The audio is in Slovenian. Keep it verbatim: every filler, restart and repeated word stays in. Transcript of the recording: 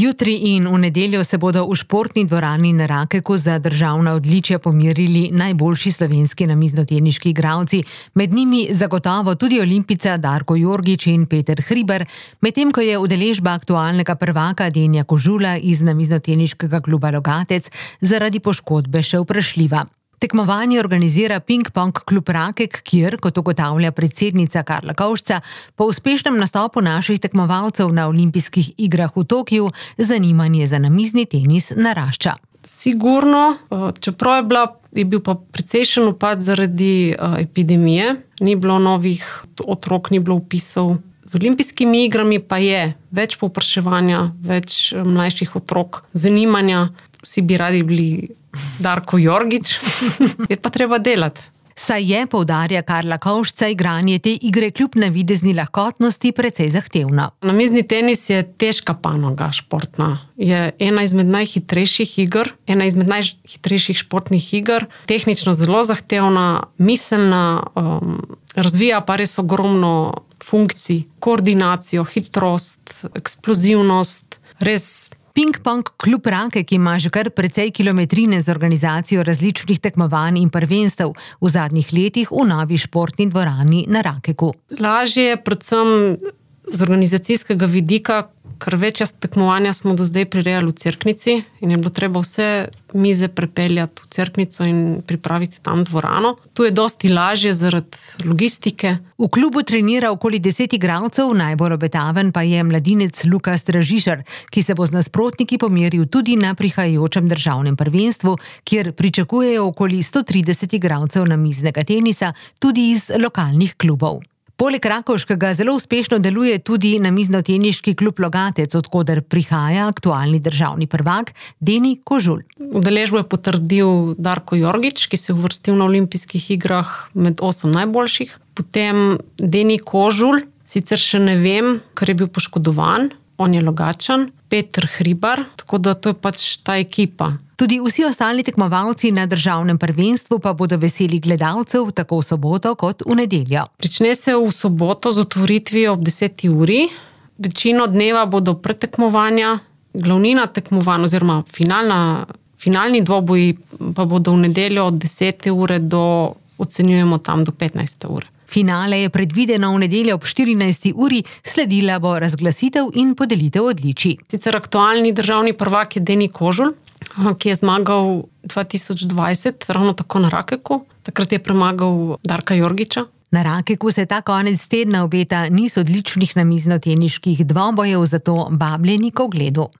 Jutri in v nedeljo se bodo v športni dvorani na Rakeku za državna odličja pomerili najboljši slovenski namiznoteniški igralci, med njimi zagotovo tudi olimpijca Darko Jorgič in Peter Hribar, medtem ko je udeležba aktualnega prvaka Denija Kožula iz namiznoteniškega kluba Logatec zaradi poškodbe še vprašljiva. Tekmovanje organizira Ping-pong klub Rakek, kjer, kot ugotavlja predsednica Karla Kovšca, po uspešnem nastopu naših tekmovalcev na olimpijskih igrah v Tokiu zanimanje za namizni tenis narašča. Sigurno, čeprav je, bila, je bil pa precejšen upad zaradi epidemije, ni bilo novih otrok, ni bilo vpisov. Z olimpijskimi igrami pa je več povpraševanja, več mlajših otrok, zanimanja. Vsi bi radi bili Darko Jorgič, je pa treba delati. Saj je, poudarja Karla Kovšca, igranje te igre kljub navidezni lahkotnosti precej zahtevno. Namizni tenis je težka panoga športna. Je ena izmed najhitrejših iger, ena izmed najhitrejših športnih iger, tehnično zelo zahtevna, miselna, um, razvija pa res ogromno funkcij, koordinacijo, hitrost, eksplozivnost, res. Ping-pong klub Rakek ima že kar precej kilometrine z organizacijo različnih tekmovanj in prvenstev v zadnjih letih v novi športni dvorani na Rakeku. Lažje je predvsem z organizacijskega vidika, ker večja tekmovanja smo do zdaj prirejali v Cerknici in je bilo treba vse mize prepeljati v Cerknico in pripraviti tam dvorano. Tu je dosti lažje zaradi logistike. V klubu trenira okoli deset igralcev, najbolj obetaven pa je mladinec Luka Stražišar, ki se bo z nasprotniki pomeril tudi na prihajajočem državnem prvenstvu, kjer pričakujejo okoli sto trideset igralcev namiznega tenisa, tudi iz lokalnih klubov. Poleg rakovškega zelo uspešno deluje tudi namiznoteniški klub Logatec, od koder prihaja aktualni državni prvak Deni Kožul. Udeležbo je potrdil Darko Jorgič, ki se je uvrstil na olimpijskih igrah med osem najboljših. Potem Deni Kožul, sicer še ne vem, ker je bil poškodovan, on je Logatčan, Peter Hribar, tako da to je pač ta ekipa. Tudi vsi ostali tekmovalci na državnem prvenstvu pa bodo veseli gledalcev tako v soboto kot v nedeljo. Prične se v soboto z otvoritvijo ob deseti uri. Večino dneva bodo pretekmovanja, glavnina tekmovanj oziroma finalna, finalni dvoboji pa bodo v nedeljo od desete ure do, ocenjujemo tam do petnajste ure. Finale je predvideno v nedeljo ob štirinajsti uri, sledila bo razglasitev in podelitev odličij. Sicer aktualni državni prvak je Deni Kožul, ki je zmagal dva tisoč dvajset, ravno tako na Rakeku. Takrat je premagal Darka Jorgiča. Na Rakeku se ta konec tedna obeta niz odličnih namiznoteniških dvobojev, zato vabljeni k ogledu.